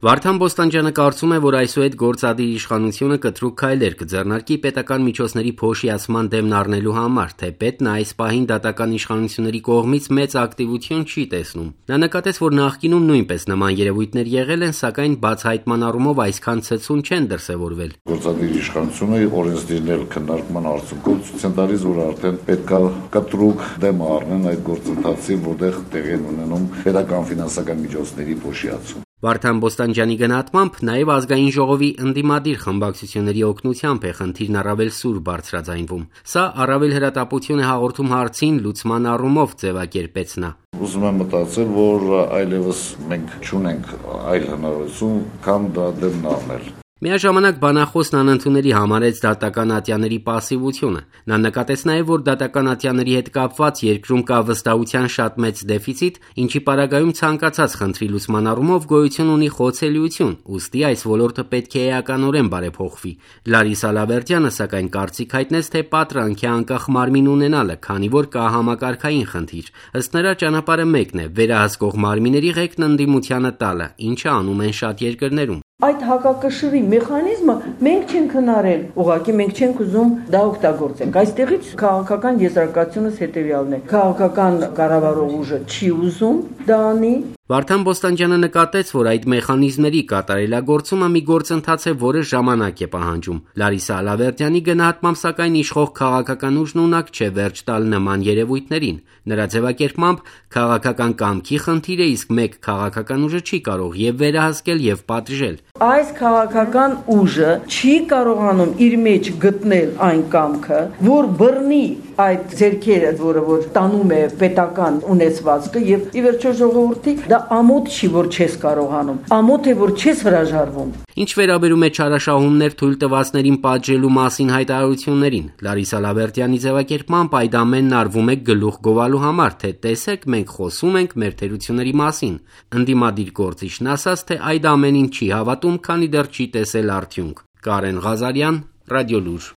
Վարդան Բոստանջյանը կարծում է, որ այսուհետ գործադիր իշխանությունը կտրուկ քայլեր կձեռնարկի պետական միջոցների փոշիացման դեմն առնելու համար, թեպետ նա այս պահին դատական իշխանությունների կողմից մեծ ակտիվություն չի տեսնում։ Նա նկատեց, որ նախկինում նույնպես նման երևույթներ եղել են, սակայն բացահայտման առումով այսքան ցցուն չեն դրսևորվել։ Գործադիր իշխանությունը օրենսդիրներ քննարկման արդյունքում ցույց են տալիս, որ արդեն պետք է կտրուկ դեմ առնեն այդ գործընթացին, որտեղ տեղի են ունենում պետական ֆինանսական միջոցների փոշիացում։ Վարդան Բոստանջյանի գնահատմամբ նաև ազգային ժողովի ընդդիմադիր խմբակցությունների օգնությամբ է խնդիրն առավել սուր բարձրաձայնվում։ Սա առավել հրատապություն է հաղորդում հարցին լուծման առումով ձևակերպեց նա։ Ուզում եմ մտածել, որ այլևս մենք չունենք այլ հնարավորություն, քան դա դեմն առնել։ Միաժամանակ բանախոսն անընդունելի համարեց դատական ատյաների պասիվությունը։ Նա նկատեց նաև, որ դատական ատյաների հետ կապված երկրում կա վստահության շատ մեծ դեֆիցիտ, ինչի պարագայում ցանկացած խնդրի լուծման առումով գոյություն ունի խոցելիություն, ուստի այս ոլորտը պետք է էականորեն բարեփոխվի։ Լարիսա Լավերդյանը սակայն կարծիք հայտնեց, թե պատրանք է անկախ մարմին ունենալը, քանի որ կա համակարգային խնդիր։ Ըստ նրա ճանապարհը մեկն է՝ վերահսկող մարմինների ղեկն ընդդիմությանը տալը, ինչը անում են շատ երկրներում։ Այդ հակակշռի մեխանիզմը մենք չենք հնարել, ուղղակի մենք չենք ուզում դա օգտագործենք։ Այստեղից քաղաքական եզրակացությունս հետևյալն է. քաղաքական կառավարող ուժը չի ուզում դա անի։ Վարդան Բոստանջյանը նկատեց, որ այդ մեխանիզմների կատարելագործումը մի գործընթաց է, որը ժամանակ է պահանջում։ Լարիսա Լավերդյանի գնահատմամբ սակայն իշխող քաղաքական ուժն ունակ չէ վերջ տալ նման երևույթներին։ Նրա ձևակերպմամբ քաղաքական կամքի խնդիր է, իսկ մեկ քաղաքական ուժը չի կարող եւ վերահսկել եւ պատժել։ Այս քաղաքական ուժը չի կարողանում իր մեջ գտնել այն կամքը, որ բռնի այդ ձեռքերը, որ տանում է պետական ունեցվածքը եւ ի վերջո ժողովրդի դա ամոթ չի, որ չես կարողանում, ամոթ է, որ չես հրաժարվում։ Ինչ վերաբերում է չարաշահումներ թույլ տվածներին պատժելու մասին հայտարարություններին, Լարիսա Լավերդյանի ձևակերպմամբ այդ ամենն արվում է գլուխ գովալու համար, թե տեսեք, մենք խոսում ենք մեր թերությունների մասին։ Ընդդիմադիր գործիչն ասաց, թե այդ ամենին չի հավատում, քանի դեռ չի տեսել արդյունք։ Կարեն Ղազարյան, Ռադիոլուր։